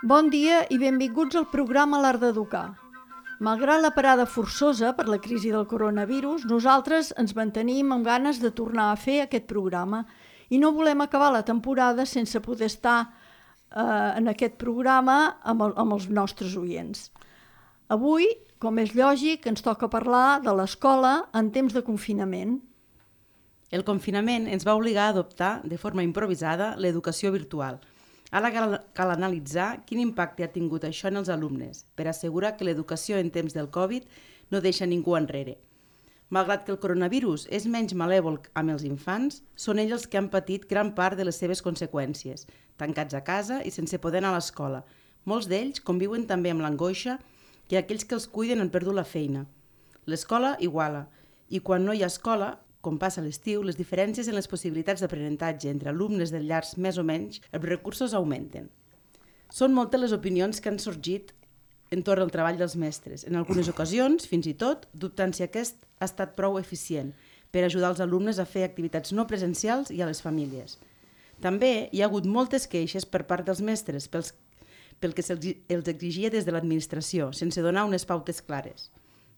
Bon dia i benvinguts al programa L'Art d'Educar. Malgrat la parada forçosa per la crisi del coronavirus, nosaltres ens mantenim amb ganes de tornar a fer aquest programa i no volem acabar la temporada sense poder estar en aquest programa amb els nostres oients. Avui, com és lògic, ens toca parlar de l'escola en temps de confinament. El confinament ens va obligar a adoptar de forma improvisada l'educació virtual. Ara cal analitzar quin impacte ha tingut això en els alumnes per assegurar que l'educació en temps del Covid no deixa ningú enrere. Malgrat que el coronavirus és menys malèvol amb els infants, són ells els que han patit gran part de les seves conseqüències, tancats a casa i sense poder anar a l'escola. Molts d'ells conviuen també amb l'angoixa que aquells que els cuiden han perdut la feina. L'escola iguala, i quan no hi ha escola, com passa a l'estiu, les diferències en les possibilitats d'aprenentatge entre alumnes de llars més o menys, els recursos augmenten. Són moltes les opinions que han sorgit entorn al treball dels mestres. En algunes ocasions, fins i tot, dubtant si aquest ha estat prou eficient per ajudar els alumnes a fer activitats no presencials i a les famílies. També hi ha hagut moltes queixes per part dels mestres pel que se'ls exigia des de l'administració, sense donar unes pautes clares.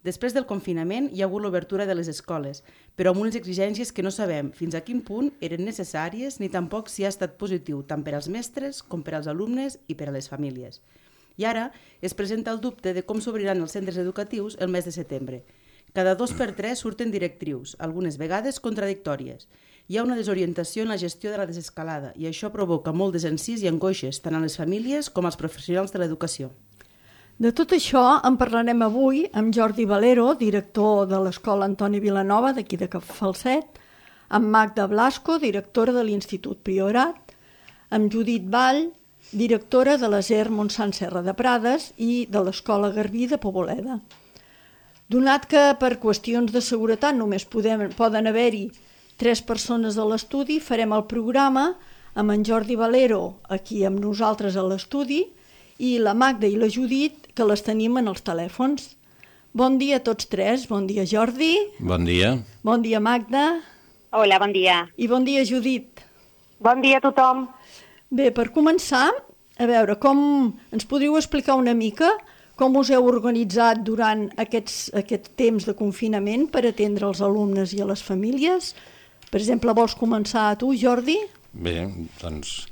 Després del confinament hi ha hagut l'obertura de les escoles, però amb unes exigències que no sabem fins a quin punt eren necessàries ni tampoc si ha estat positiu tant per als mestres com per als alumnes i per a les famílies. I ara es presenta el dubte de com s'obriran els centres educatius el mes de setembre. Cada 2 per 3 surten directrius, algunes vegades contradictòries. Hi ha una desorientació en la gestió de la desescalada i això provoca molt desencís i angoixes tant a les famílies com als professionals de l'educació. De tot això en parlarem avui amb Jordi Valero, director de l'Escola Antoni Vilanova d'aquí de Falset, amb Magda Blasco, directora de l'Institut Priorat, amb Judit Vall, directora de l'ESER Montsant Serra de Prades i de l'Escola Garbí de Poboleda. Donat que per qüestions de seguretat només poden haver-hi 3 persones a l'estudi, farem el programa amb en Jordi Valero aquí amb nosaltres a l'estudi i la Magda i la Judit, que les tenim en els telèfons. Bon dia a tots 3. Bon dia, Jordi. Bon dia. Bon dia, Magda. Hola, bon dia. I bon dia, Judit. Bon dia a tothom. Bé, per començar, a veure, ens podríeu explicar una mica com us heu organitzat durant aquest temps de confinament per atendre els alumnes i a les famílies? Per exemple, vols començar tu, Jordi? Bé, doncs,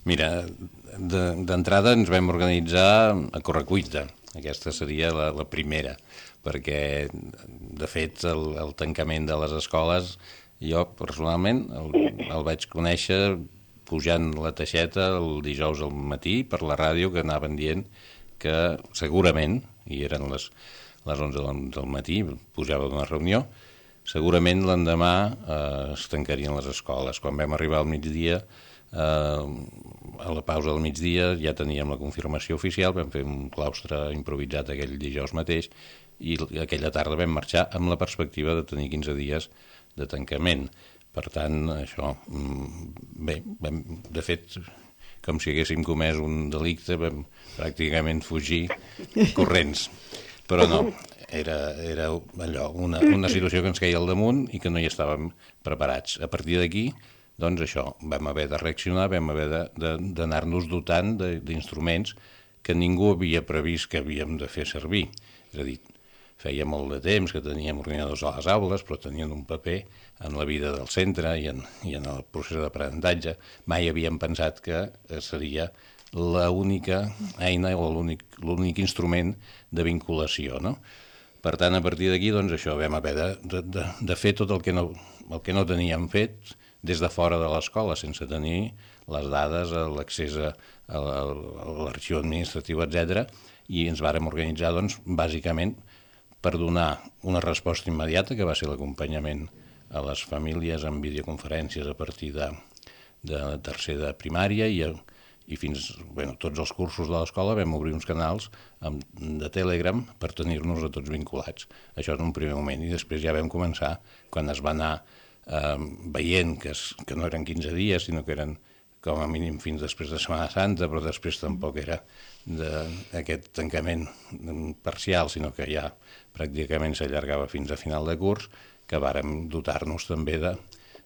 mira, d'entrada ens vam organitzar a correcuita. Aquesta seria la primera, perquè, de fet, el tancament de les escoles, jo personalment el vaig conèixer pujant la teixeta el dijous al matí per la ràdio, que anaven dient que segurament, i eren les 11 del matí, pujava d'una reunió, segurament l'endemà es tancarien les escoles. Quan vam arribar al migdia, a la pausa del migdia ja teníem la confirmació oficial, vam fer un claustre improvisat aquell dijous mateix i aquella tarda vam marxar amb la perspectiva de tenir 15 dies de tancament. Per tant, això, bé, de fet, com si haguéssim comès un delicte, vam pràcticament fugir corrents. Però no, era allò, una situació que ens queia al damunt i que no hi estàvem preparats. A partir d'aquí, doncs això, vam haver de reaccionar, vam haver d'anar-nos dotant d'instruments que ningú havia previst que havíem de fer servir. És a dir, feia molt de temps que teníem ordinadors a les aules, però tenien un paper en la vida del centre i en el procés d'aprenentatge. Mai havíem pensat que seria l'única eina o l'únic instrument de vinculació, no? Per tant, a partir d'aquí, doncs això, vam haver de fer tot el que no teníem fet des de fora de l'escola, sense tenir les dades, l'accés a l'arxiu administratiu, etc. I ens vàrem organitzar, doncs, bàsicament per donar una resposta immediata, que va ser l'acompanyament a les famílies amb videoconferències a partir de tercer de primària i fins, tots els cursos de l'escola vam obrir uns canals de Telegram per tenir-nos a tots vinculats. Això en un primer moment, i després ja vam començar, quan es va anar veient que no eren 15 dies, sinó que eren com a mínim fins després de Setmana Santa, però després tampoc era d'aquest tancament parcial, sinó que ja pràcticament s'allargava fins a final de curs, que vàrem dotar-nos també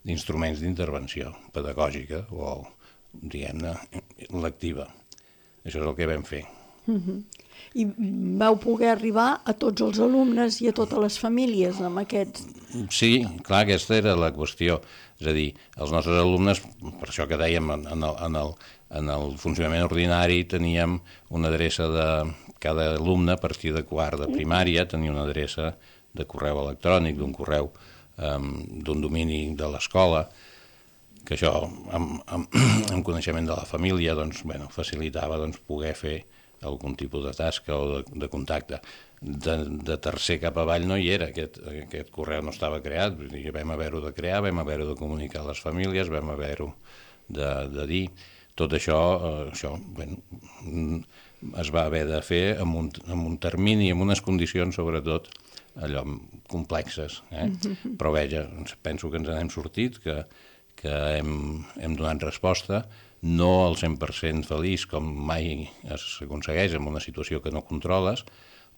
d'instruments d'intervenció pedagògica o, diguem-ne, lectiva. Això és el que vam fer. I vau poder arribar a tots els alumnes i a totes les famílies amb aquests... Sí, clar, aquesta era la qüestió. És a dir, els nostres alumnes, per això que dèiem, en el funcionament ordinari teníem una adreça de cada alumne a partir de quart de primària, tenia una adreça de correu electrònic, d'un correu d'un domini de l'escola, que això, amb coneixement de la família, doncs, bueno, facilitava poder fer algun tipus de tasca o de contacte. De tercer cap avall no hi era, aquest correu no estava creat, vull dir, vam haver-ho de crear, vam haver-ho de comunicar a les famílies, vam haver-ho de dir. Tot això, bueno, es va haver de fer amb un termini, amb unes condicions, sobretot, allò, complexes. Però veja, penso que ens n'hem sortit, que hem donat resposta, no al 100% feliç, com mai s'aconsegueix en una situació que no controles,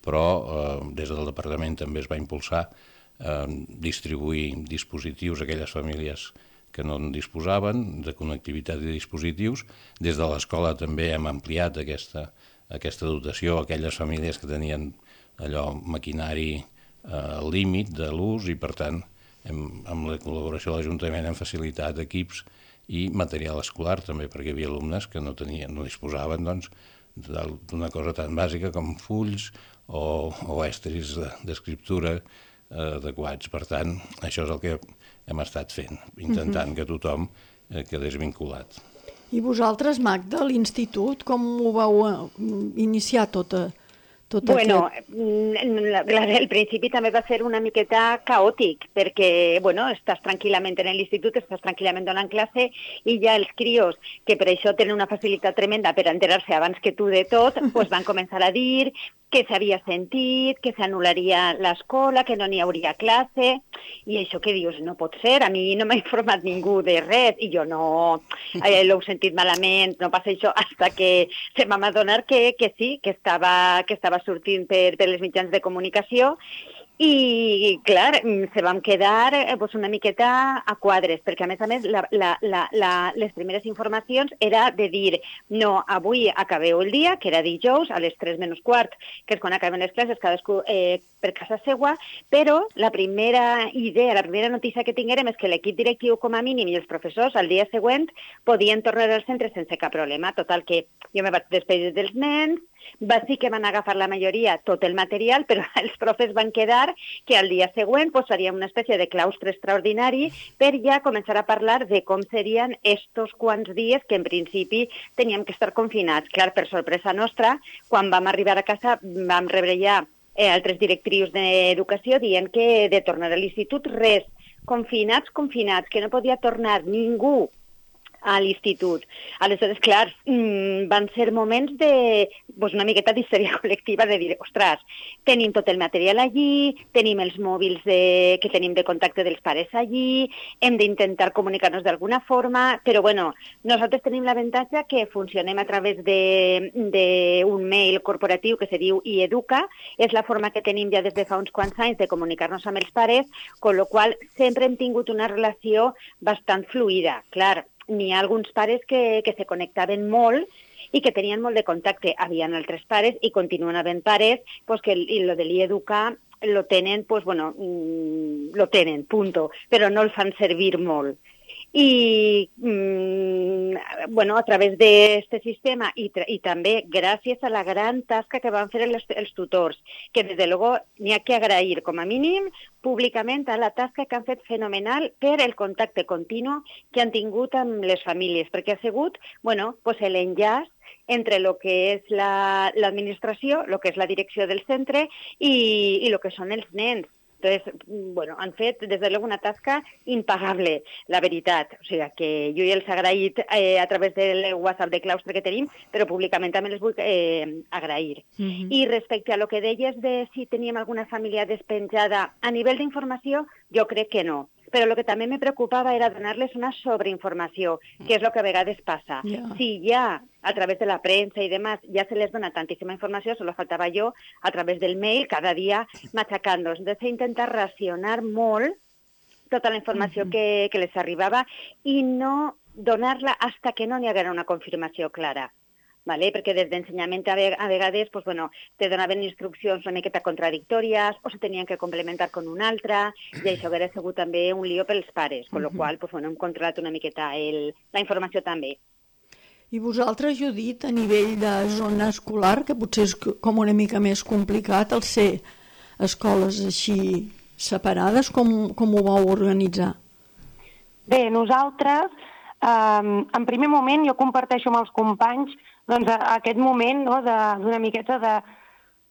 però des del departament també es va impulsar distribuir dispositius a aquelles famílies que no en disposaven, de connectivitat de dispositius. Des de l'escola també hem ampliat aquesta dotació a aquelles famílies que tenien allò, maquinari al límit de l'ús, i per tant, amb la col·laboració de l'Ajuntament hem facilitat equips i material escolar també, perquè hi havia alumnes que no disposaven d'una cosa tan bàsica com fulls o estris d'escriptura adequats. Per tant, això és el que hem estat fent, intentant que tothom quedés vinculat. I vosaltres, Magda, a l'institut, com ho vau iniciar tot Bueno, aquest... el principi també va ser una miqueta caòtic, perquè, bueno, estàs tranquil·lament en l'institut, estàs tranquil·lament donant classe, i ja els crios, que per això tenen una facilitat tremenda per enterar-se abans que tu de tot, pues van començar a dir que s'havia sentit, que s'anul·laria l'escola, que no n'hi hauria classe, i això que dius, no pot ser, a mi no m'ha informat ningú de res, i jo no l'he sentit malament, no passa això, hasta que se m'ha adonat que sí, que estava sortint per les mitjans de comunicació, i, clar, se vam quedar una miqueta a quadres, perquè, a més, les primeres informacions era de dir, no, avui acabeu el dia, que era dijous, a les 3 menys quart, que és quan acaben les classes, cadascú per casa seua, però la primera idea, la primera notícia que tinguérem és que l'equip directiu, com a mínim, i els professors, al dia següent, podien tornar al centre sense cap problema. Total, que jo me vaig despedir dels nens, sí que van agafar la majoria tot el material, però els profes van quedar que al dia següent faríem una espècie de claustre extraordinari per ja començar a parlar de com serien estos quants dies que en principi teníem que estar confinats. Clar, per sorpresa nostra, quan vam arribar a casa vam rebre ja altres directrius d'educació dient que de tornar a l'institut res, confinats, que no podia tornar ningú a l'institut. Aleshores, clar, van ser moments una miqueta d'histèria col·lectiva, de dir, ostres, tenim tot el material allí, tenim els mòbils que tenim de contacte dels pares allí, hem d'intentar comunicar-nos d'alguna forma, però bueno, nosaltres tenim l'avantatge que funcionem a través d'un mail corporatiu que se diu iEduca, és la forma que tenim ja des de fa uns quants anys de comunicar-nos amb els pares, con la qual sempre hem tingut una relació bastant fluida. Clar, n'hi ha alguns pares que se connectaven molt i que tenien molt de contacte. Havien altres pares i continuen havent pares que lo de l'Ieduca lo tenen, lo tenen, punto, però no el fan servir molt. I, a través d'aquest sistema i també gràcies a la gran tasca que van fer els tutors, que des de luego n'hi ha que agrair com a mínim públicament a la tasca que han fet fenomenal per el contacte continu que han tingut amb les famílies, perquè ha sigut l'enllaç entre el que és l'administració, el que és la direcció del centre i el que són els nens. Entonces, han fet, des de luego, una tasca impagable, la veritat. O sigui, que jo ja els he agraït a través del WhatsApp de claustre que tenim, però públicament també les vull agrair. I respecte a lo que deies de si teníem alguna família despenjada, a nivell d'informació, jo crec que no. Però el que també me preocupava era donar-les una sobreinformació, que és el que a vegades passa. Si ja, a través de la premsa i demás, ja se les dona tantíssima informació, solo faltava jo, a través del mail, cada dia matxacant-los. Entonces, he intentat racionar molt tota la informació que les arribava i no donar-la hasta que no n'hi haguera una confirmació clara. Vale? Perquè des d'ensenyament a vegades te donaven instruccions una miqueta contradictòries o se tenien que complementar con una altra i això hauria sigut també un lío pels pares, amb la qual cosa hem controlat una miqueta la informació també. I vosaltres, Judit, a nivell de zona escolar, que potser és com una mica més complicat el ser escoles així separades, com ho vau organitzar? Bé, nosaltres, en primer moment, jo comparteixo amb els companys aquest moment d'una miqueta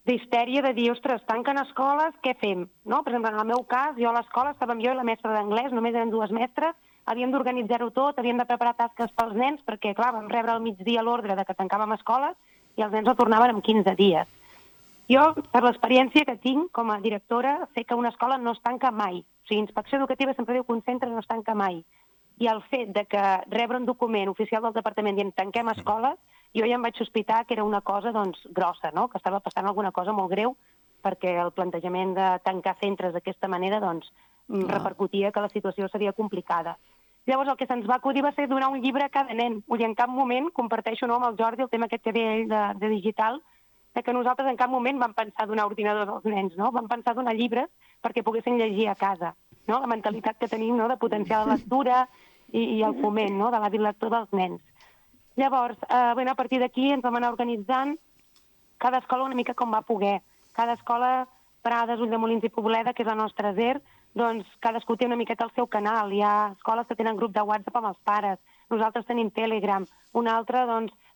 d'histèria de dir, ostres, tanquen escoles, què fem? Per exemple, en el meu cas, jo a l'escola estàvem jo i la mestra d'anglès, només eren 2 mestres, havíem d'organitzar-ho tot, havíem de preparar tasques pels nens, perquè, clar, vam rebre al migdia l'ordre de que tancàvem escoles i els nens no tornaven en 15 dies. Jo, per l'experiència que tinc com a directora, sé que una escola no es tanca mai. O sigui, Inspecció Educativa sempre diu que un centre no es tanca mai. I el fet de que rebre un document oficial del departament dient tanquem escoles, jo ja em vaig sospitar que era una cosa grossa, que estava passant alguna cosa molt greu, perquè el plantejament de tancar centres d'aquesta manera repercutia que la situació seria complicada. Llavors el que se'ns va acudir va ser donar un llibre a cada nen. I en cap moment, comparteixo amb el Jordi el tema aquest que deia ell de digital, que nosaltres en cap moment vam pensar donar ordinadors als nens, vam pensar donar llibres perquè poguessin llegir a casa. La mentalitat que tenim de potenciar la lectura i el foment de l'hàbit lector dels nens. Llavors, a partir d'aquí ens vam anar organitzant cada escola una mica com va poder. Cada escola, Prades, Ulldemolins i Pobleda, que és la nostra SER, cadascú té una miqueta el seu canal. Hi ha escoles que tenen grup de WhatsApp amb els pares, nosaltres tenim Telegram, una altra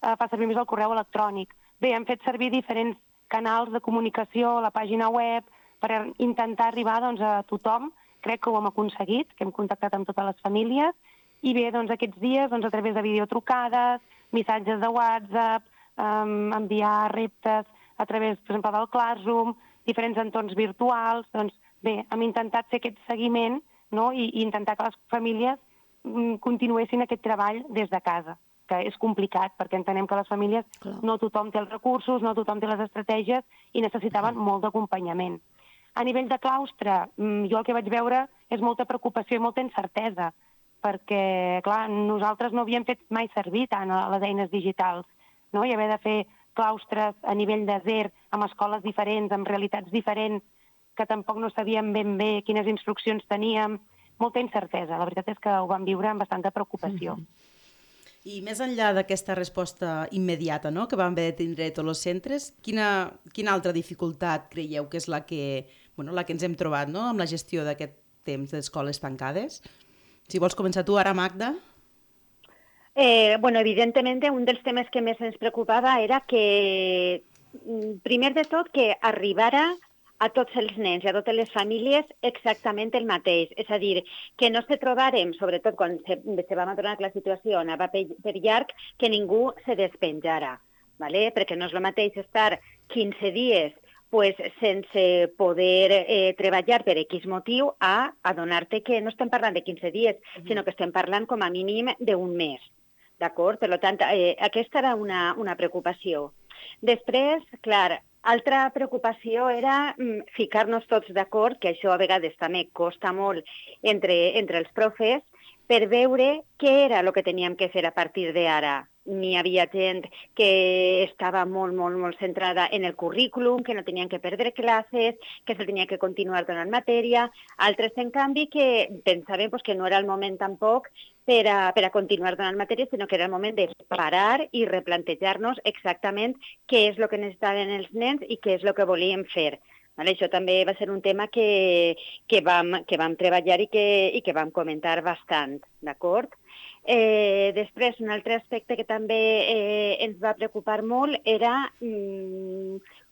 fa servir més el correu electrònic. Bé, hem fet servir diferents canals de comunicació, la pàgina web, per intentar arribar a tothom. Crec que ho hem aconseguit, que hem contactat amb totes les famílies, i bé, aquests dies, a través de videotrucades, missatges de WhatsApp, enviar reptes a través, per exemple, del Classroom, diferents entorns virtuals, bé, hem intentat fer aquest seguiment i intentar que les famílies continuessin aquest treball des de casa, que és complicat, perquè entenem que les famílies no tothom té els recursos, no tothom té les estratègies i necessitaven molt d'acompanyament. A nivell de claustre, jo el que vaig veure és molta preocupació i molta incertesa, perquè, clar, nosaltres no havíem fet mai servir tant les eines digitals, i haver de fer claustres a nivell de SER, amb escoles diferents, amb realitats diferents, que tampoc no sabíem ben bé quines instruccions teníem, molta incertesa. La veritat és que ho vam viure amb bastanta preocupació. I més enllà d'aquesta resposta immediata que van haver de tindre tots els centres, quina altra dificultat creieu que és la que ens hem trobat amb la gestió d'aquest temps d'escoles tancades? Si vols començar tu ara, Magda. Evidentment, un dels temes que més ens preocupava era que, primer de tot, que arribara a tots els nens i a totes les famílies exactament el mateix. És a dir, que no se trobàrem, sobretot quan se vam adonar que la situació anava per llarg, que ningú se despenjara. Perquè no és el mateix estar 15 dies sense poder treballar per X motiu a adonar-te que no estem parlant de 15 dies, sinó que estem parlant com a mínim d'un mes. D'acord? Per tant, aquesta era una preocupació. Després, clar, altra preocupació era ficar-nos tots d'acord, que això a vegades també costa molt entre els profes, per veure què era el que teníem que fer a partir d'ara. N'hi havia gent que estava molt, molt, molt centrada en el currículum, que no tenien que perdre classes, que se tenia que continuar donant matèria. Altres, en canvi, que pensaven que no era el moment tampoc per a continuar donant matèria, sinó que era el moment de parar i replantejar-nos exactament què és el que necessitaven els nens i què és el que volíem fer. Això també va ser un tema que vam treballar i que vam comentar bastant, d'acord? Després, un altre aspecte que també ens va preocupar molt era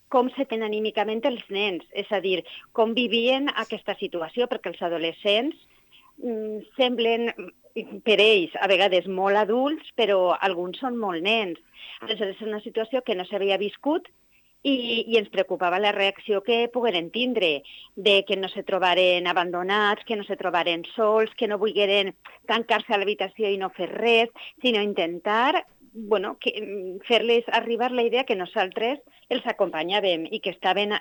com se tenen anímicament els nens, és a dir, com vivien aquesta situació, perquè els adolescents semblen per ells a vegades molt adults, però alguns són molt nens. Aleshores, és una situació que no s'havia viscut i ens preocupava la reacció que pogueren tindre, de que no se trobaren abandonats, que no se trobaren sols, que no volgueren tancar-se a l'habitació i no fer res, sinó intentar fer-les arribar la idea que nosaltres els acompanyàvem i que estàvem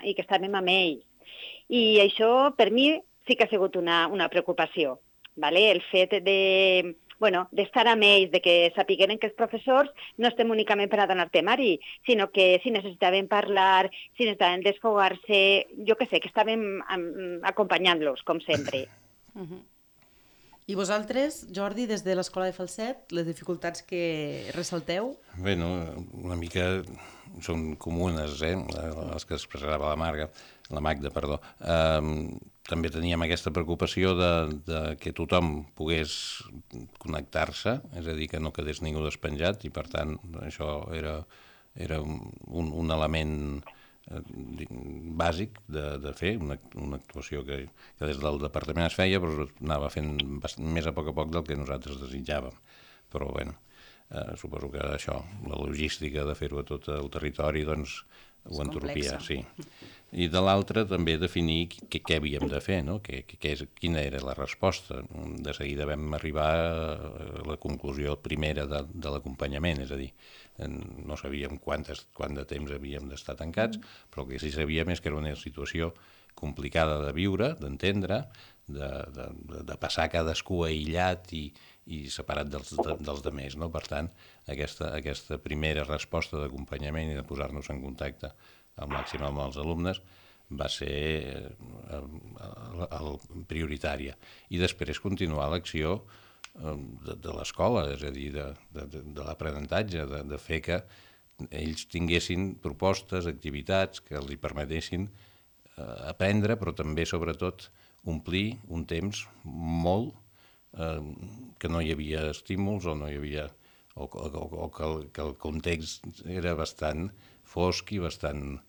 amb ells. I això, per mi, sí que ha sigut una preocupació. Vale? El fet d'estar amb ells, de que sapigueren que els professors no estem únicament per a donar temari, sinó que si necessitaven parlar, si necessitaven desfogar-se, jo què sé, que estàvem acompanyant-los, com sempre. I vosaltres, Jordi, des de l'Escola de Falset, les dificultats que ressalteu? Bé, una mica són comunes, les que expressava la Magda. També teníem aquesta preocupació de que tothom pogués connectar-se, és a dir, que no quedés ningú despenjat, i per tant això era un element bàsic de fer, una actuació que des del departament es feia, però anava fent més a poc del que nosaltres desitjàvem. Però bé, suposo que això, la logística de fer-ho a tot el territori, doncs ho entropia, sí. I de l'altra també definir què havíem de fer, no? Quina era la resposta. De seguida vam arribar a la conclusió primera de l'acompanyament, és a dir, no sabíem quant de temps havíem d'estar tancats, però el que sí sabíem és que era una situació complicada de viure, d'entendre, de passar cadascú aïllat i separat dels demés, no? Per tant, aquesta primera resposta d'acompanyament i de posar-nos en contacte al màxim amb els alumnes va ser prioritària. I després continuar l'acció de l'escola, és a dir, de l'aprenentatge, de fer que ells tinguessin propostes, activitats que els permetessin aprendre, però també, sobretot, omplir un temps molt que no hi havia estímuls o no hi havia o que el context era bastant fosc i bastant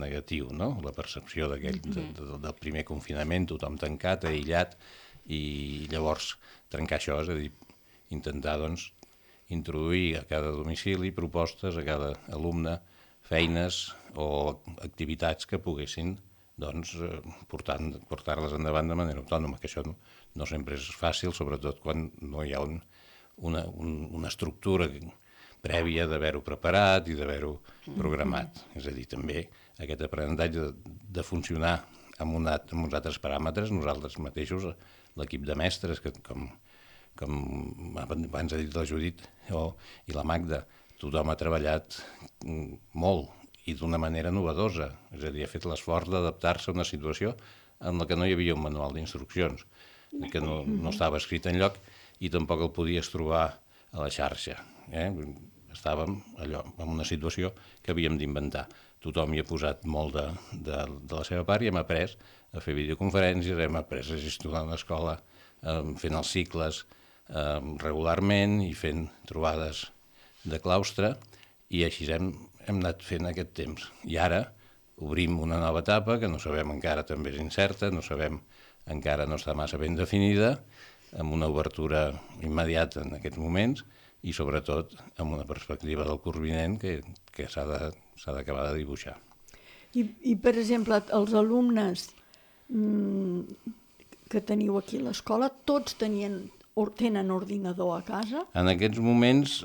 negatiu, no? La percepció del primer confinament, tothom tancat, aïllat, i llavors trencar això, és a dir, intentar introduir a cada domicili propostes, a cada alumne, feines o activitats que poguessin portar-les endavant de manera autònoma, que això no sempre és fàcil, sobretot quan no hi ha una estructura prèvia d'haver-ho preparat i d'haver-ho programat. És a dir, també aquest aprenentatge de funcionar amb uns altres paràmetres, nosaltres mateixos, l'equip de mestres, que com abans ha dit la Judit i la Magda, tothom ha treballat molt i d'una manera novedosa, és a dir, ha fet l'esforç d'adaptar-se a una situació en la que no hi havia un manual d'instruccions, que no estava escrit enlloc i tampoc el podies trobar a la xarxa. Estàvem allò, en una situació que havíem d'inventar. Tothom hi ha posat molt de la seva part i hem après a fer videoconferències, hem après a gestionar una escola fent els cicles regularment i fent trobades de claustre, i així hem anat fent aquest temps. I ara obrim una nova etapa que no sabem encara, també és incerta, encara no està massa ben definida, amb una obertura immediata en aquests moments i sobretot amb una perspectiva del curs vinent que s'ha d'acabar de dibuixar. I per exemple, els alumnes que teniu aquí a l'escola, tots tenen ordinador a casa? En aquests moments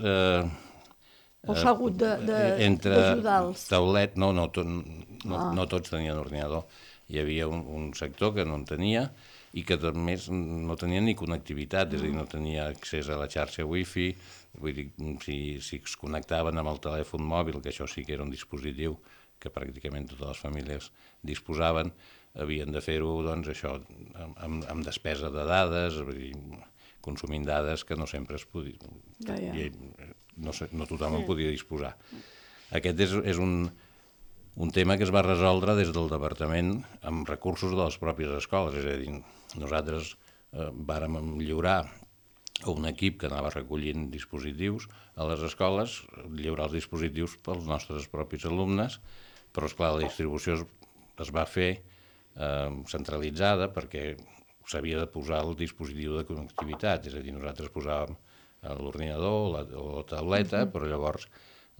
o s'ha hagut d'ajudar-los? Taulet, no tots tenien ordinador. Hi havia un sector que no en tenia i que a més no tenia ni connectivitat, és a dir, no tenia accés a la xarxa wifi, vull dir, si es connectaven amb el telèfon mòbil, que això sí que era un dispositiu que pràcticament totes les famílies disposaven, havien de fer-ho, doncs, això, amb despesa de dades, vull dir, consumint dades que no sempre es podia... No tothom en podia disposar. Aquest és un tema que es va resoldre des del departament amb recursos de les pròpies escoles, és a dir, nosaltres vàrem lliurar un equip que anava recollint dispositius a les escoles, lliurar els dispositius pels nostres propis alumnes, però, esclar, la distribució es va fer centralitzada perquè s'havia de posar el dispositiu de connectivitat, és a dir, nosaltres posàvem l'ordinador o la tauleta, però llavors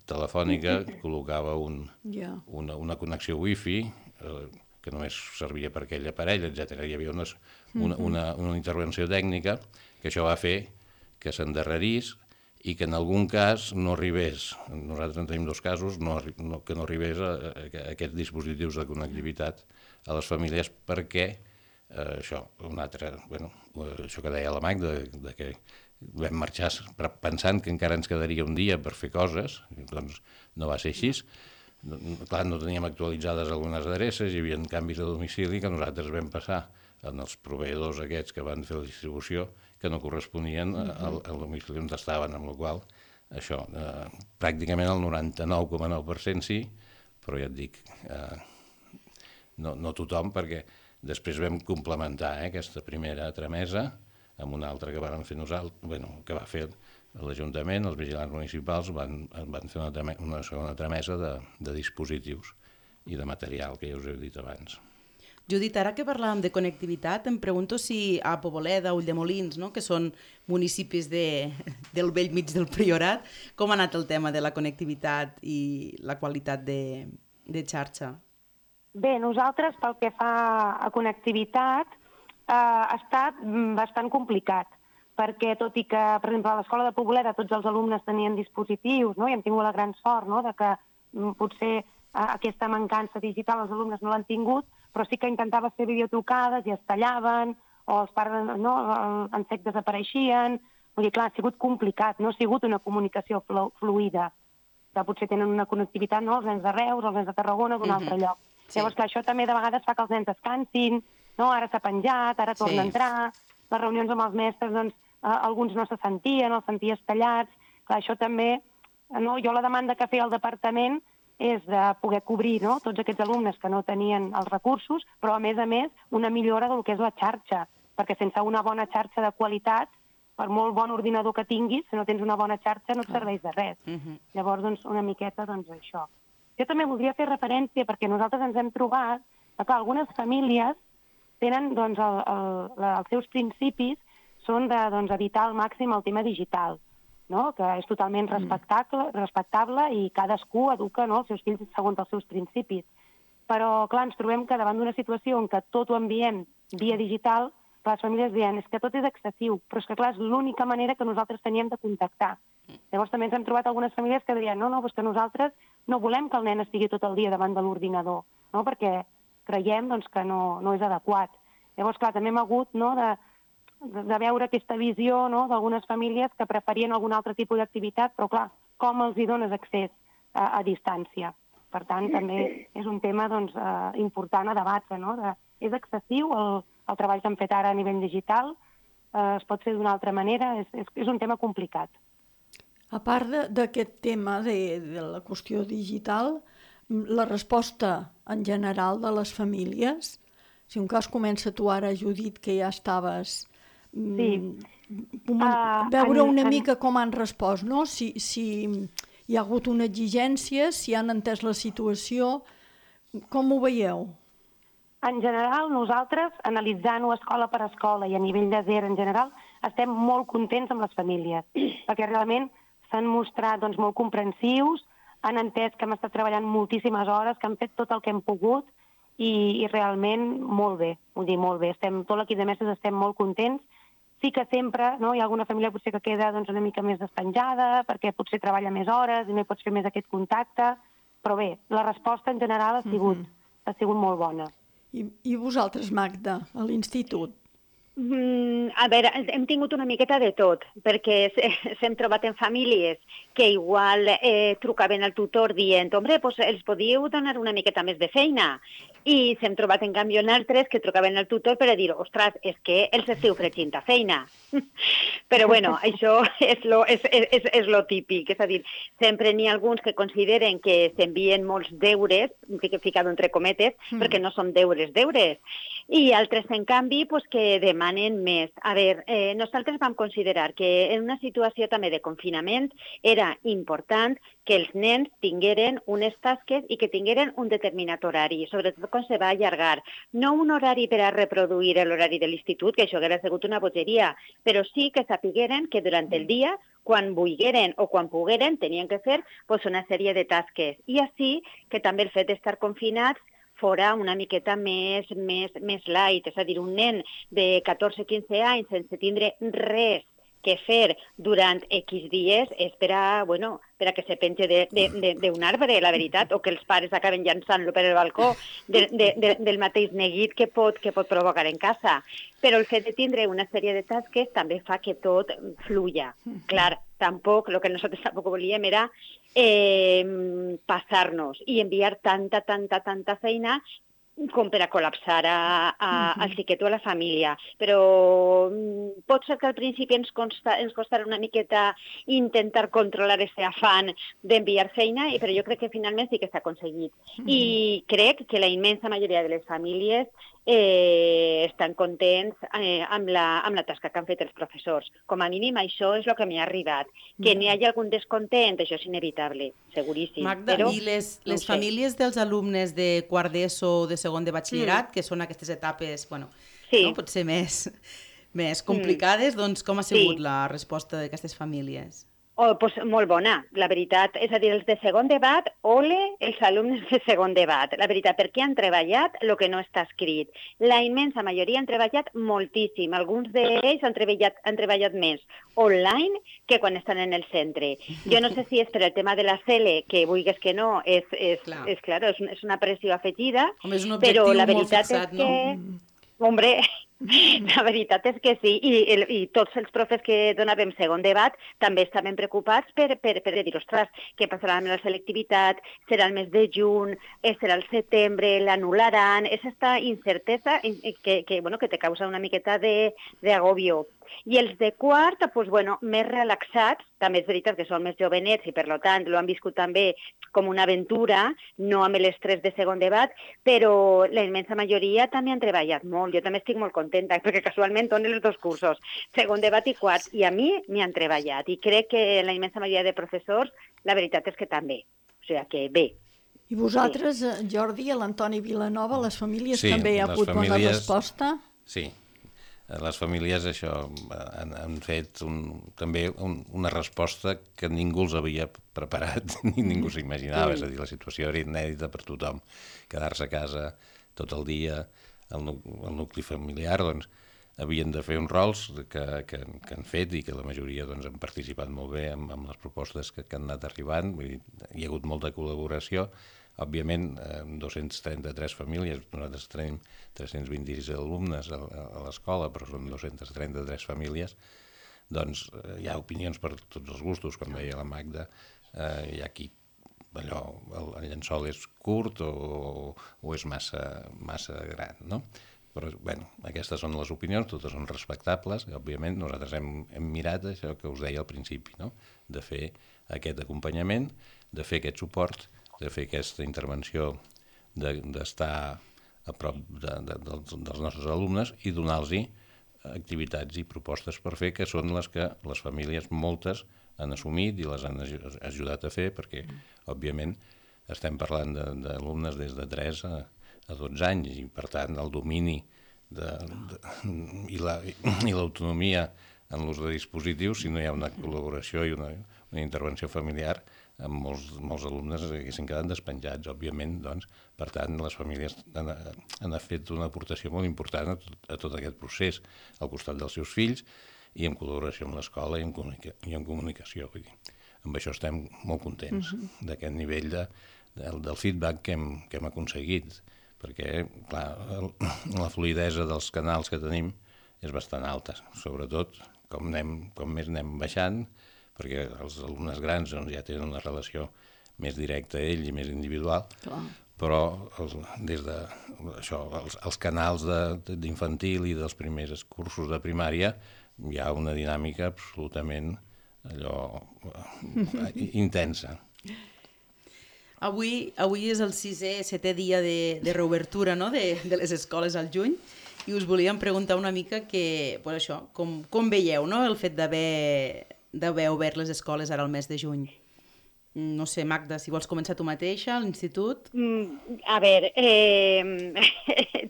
Telefònica col·locava una connexió wifi que només servia per aquell aparell, etc. Hi havia una intervenció tècnica que això va fer que s'endarrerís i que en algun cas no arribés, nosaltres en tenim dos casos, que no arribés a aquests dispositius de connectivitat a les famílies perquè això, això que deia la Mag, de que vam marxar pensant que encara ens quedaria un dia per fer coses, doncs no va ser així. Clar, no teníem actualitzades algunes adreces, hi havia canvis de domicili que nosaltres vam passar en els proveïdors aquests que van fer la distribució, que no corresponien al domicili on estaven, amb la qual això, pràcticament el 99,9% sí, però ja et dic, no tothom, perquè després vam complementar aquesta primera tramesa amb una altra que vam fer nosaltres, que va fer l'Ajuntament, els vigilants municipals van fer una segona tramesa de dispositius i de material, que ja us he dit abans. Judit, ara que parlàvem de connectivitat, em pregunto si a Poboleda, Ulldemolins, no?, que són municipis del vell mig del Priorat, com ha anat el tema de la connectivitat i la qualitat de xarxa? Bé, nosaltres, pel que fa a connectivitat, ha estat bastant complicat, perquè tot i que, per exemple, a l'escola de Poboleda tots els alumnes tenien dispositius, no?, i hem tingut la gran sort, no?, de que potser aquesta mancança digital els alumnes no l'han tingut, però sí que intentava fer videotrucades i es tallaven, o els pares en sec desapareixien. Vull dir, clar, ha sigut complicat, no ha sigut una comunicació fluida, que potser tenen una connectivitat, no?, els nens de Reus, els nens de Tarragona, d'un altre lloc. Sí. Llavors, clar, això també de vegades fa que els nens descansin, no?, ara s'ha penjat, ara torna a entrar, les reunions amb els mestres, doncs, alguns no se sentien, els senties tallats. Clar, això també, no?, jo la demanda que feia el departament és de poder cobrir, no?, tots aquests alumnes que no tenien els recursos, però a més, una millora del que és la xarxa, perquè sense una bona xarxa de qualitat, per molt bon ordinador que tinguis, si no tens una bona xarxa no et serveix de res. Llavors, doncs, una miqueta, doncs, això. Jo també voldria fer referència, perquè nosaltres ens hem trobat que algunes famílies tenen, doncs, els seus principis són d'evitar al màxim el tema digital, no?, que és totalment respectable i cadascú educa, no?, els seus fills segons els seus principis. Però, clar, ens trobem que davant d'una situació en què tot ho enviem via digital, les famílies diuen és que tot és excessiu, però és que, clar, és l'única manera que nosaltres teníem de contactar. Llavors també ens hem trobat algunes famílies que dirien no, és que nosaltres no volem que el nen estigui tot el dia davant de l'ordinador, no?, perquè creiem, doncs, que no és adequat. Llavors, clar, també hem hagut, no?, de veure aquesta visió, no?, d'algunes famílies que preferien algun altre tipus d'activitat, però, clar, com els hi dones accés a distància? Per tant, també és un tema, doncs, important a debatre, no?, és excessiu el treball que hem fet ara a nivell digital, es pot fer d'una altra manera, és un tema complicat. A part d'aquest tema de la qüestió digital, la resposta en general de les famílies, si un cas comença tu ara, Judit, que ja estaves... veure una mica com han respost, no? Si hi ha hagut una exigència, si han entès la situació, com ho veieu? En general, nosaltres, analitzant-ho escola per escola i a nivell de DER en general, estem molt contents amb les famílies, perquè realment s'han mostrat, doncs, molt comprensius, han entès que hem estat treballant moltíssimes hores, que han fet tot el que hem pogut i realment molt bé, vull dir, molt bé. Tot l'equip de mestres estem molt contents. Sí que sempre, no, hi ha alguna família potser que queda, doncs, una mica més despenjada, perquè potser treballa més hores i no hi pots fer més aquest contacte, però bé, la resposta en general ha sigut molt bona. I vosaltres, Magda, a l'institut? A veure, hem tingut una miqueta de tot, perquè s'hem trobat en famílies que igual trucaven al tutor dient «Hombre, pues els podíeu donar una miqueta més de feina». I s'hem trobat, en canvi, en altres que trucaven al tutor per a dir «Ostres, és que els esteu fregint a feina». Però, bueno, això és lo típic. És a dir, sempre n'hi ha alguns que consideren que s'envien molts deures, ficado entre cometes, perquè no són deures, i altres, en canvi, pues, que demanen més. A veure, nosaltres vam considerar que en una situació també de confinament era important que els nens tingueren unes tasques i que tingueren un determinat horari, sobretot quan se va allargar. No un horari per a reproduir l'horari de l'institut, que això hauria sigut una bogeria, però sí que sapigueren que durant el dia, quan volgueren o quan pogueren, tenien que fer pues, una sèrie de tasques. I així que també el fet d'estar confinats fora una miqueta més light, és a dir, un nen de 14-15 anys sense tindre res que fer durant X dies és per a, per a que se penge d'un arbre, la veritat, o que els pares acaben llançant-lo per el balcó del mateix neguit que pot provocar en casa. Però el fet de tindre una sèrie de tasques també fa que tot fluya. Clar, tampoc, el que nosaltres tampoc volíem era passar-nos i enviar tanta feina com per a col·lapsar al xiquet o a la família. Però pot ser que al principi ens costarà una miqueta intentar controlar aquest afany d'enviar feina, però jo crec que finalment sí que s'ha aconseguit. I crec que la immensa majoria de les famílies estan contents amb la tasca que han fet els professors. Com a mínim això és el que m'ha arribat. Que n'hi hagi algun descontent, això és inevitable, seguríssim. Magda, però, i les famílies dels alumnes de quart d'ESO o de segon de batxillerat, que són aquestes etapes, bueno, no, potser més complicades, doncs com ha sigut la resposta d'aquestes famílies? Pues molt bona, la veritat. És a dir, els de segon de bat, ole els alumnes de segon de bat. La veritat, perquè han treballat el que no està escrit. La immensa majoria han treballat moltíssim. Alguns d'ells han treballat més online que quan estan en el centre. Jo no sé si és per el tema de la CELE, que vulguis que no, és una pressió afegida, home, és un objectiu però la molt veritat fixat, és que... no? Hombre, la veritat és que sí, i tots els profes que donàvem segon debat també estaven preocupats per dir, ostres, què passarà amb la selectivitat, serà el mes de juny, serà el setembre, l'anul·laran, és aquesta incertesa que te causa una miqueta d'agobio. I els de quart, doncs, més relaxats, també és veritat que són més jovenets i per tant l'ho han viscut també com una aventura, no amb l'estrès de segon debat, però la immensa majoria també han treballat molt. Jo també estic molt contenta, perquè casualment donen els dos cursos, segon debat i quart, i a mi m'hi han treballat. I crec que la immensa majoria de professors, la veritat és que també. O sigui que bé. I vosaltres, Jordi, a l'Antoni Vilanova, les famílies també hi ha hagut bona resposta? Sí. Les famílies això han fet també una resposta que ningú els havia preparat ni ningú s'imaginava, és a dir, la situació era inèdita per tothom. Quedar-se a casa tot el dia, el nucli familiar, doncs, havien de fer uns rols que han fet i que la majoria han participat molt bé amb les propostes que han anat arribant. Vull dir, hi ha hagut molta col·laboració. Òbviament, 233 famílies, nosaltres tenim 326 alumnes a l'escola, però són 233 famílies, doncs hi ha opinions per tots els gustos, com deia la Magda. Hi ha qui, el llençol és curt o és massa gran, no? Però, aquestes són les opinions, totes són respectables, i, òbviament, nosaltres hem mirat això que us deia al principi, no? De fer aquest acompanyament, de fer aquest suport, de fer aquesta intervenció, d'estar a prop dels nostres alumnes i donar-los activitats i propostes per fer, que són les que les famílies moltes han assumit i les han ajudat a fer, perquè, òbviament, estem parlant d'alumnes des de 3 a 12 anys i, per tant, el domini i l'autonomia en l'ús de dispositius, si no hi ha una col·laboració i una intervenció familiar, amb molts alumnes haguessin quedat despenjats, òbviament, doncs, per tant, les famílies han fet una aportació molt important a tot aquest procés, al costat dels seus fills i en col·laboració amb l'escola i en comunicació. Vull dir, amb això estem molt contents d'aquest nivell del feedback que hem aconseguit, perquè, clar, la fluïdesa dels canals que tenim és bastant alta, sobretot com més anem baixant, perquè els alumnes grans ja tenen una relació més directa a ell i més individual, però des de els canals d'infantil i dels primers cursos de primària hi ha una dinàmica absolutament intensa. Avui és el 7è dia de reobertura, no?, de les escoles al juny, i us volíem preguntar una mica com veieu, no?, el fet d'haver obert les escoles ara al mes de juny. No sé, Magda, si vols començar tu mateixa, a l'institut? A veure,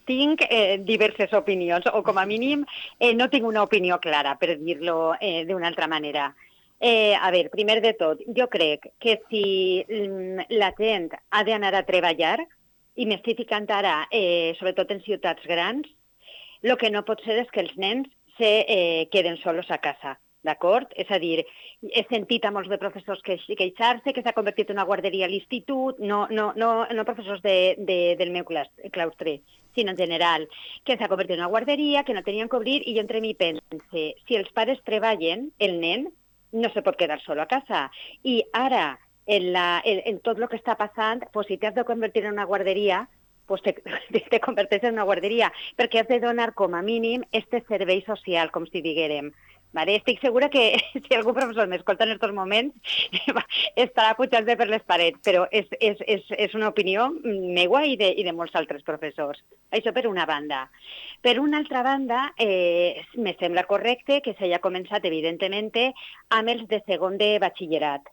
tinc diverses opinions, o com a mínim no tinc una opinió clara, per dir-lo d'una altra manera. A veure, primer de tot, jo crec que si la gent ha d'anar a treballar, i m'estic ficant ara, sobretot en ciutats grans, el que no pot ser és que els nens se queden solos a casa. d'acord? És a dir, he sentit a molts de professors queixar-se que s'ha convertit en una guarderia a l'institut, no professors del meu claustre, sinó en general, que s'ha convertit en una guarderia, que no tenien que obrir, i jo entre mi pense, si els pares treballen, el nen no se pot quedar solo a casa. I ara, en tot el que està passant, pues, si t'has de convertir en una guarderia, pues te converteixes en una guarderia, perquè has de donar com a mínim este servei social, com si diguérem. Vale? Estic segura que si algun professor m'escolta en aquests moments estarà pujant-se per les parets, però és una opinió meua i de molts altres professors. Això per una banda. Per una altra banda, me sembla correcte que s'hagi començat, evidentment, amb els de segon de batxillerat.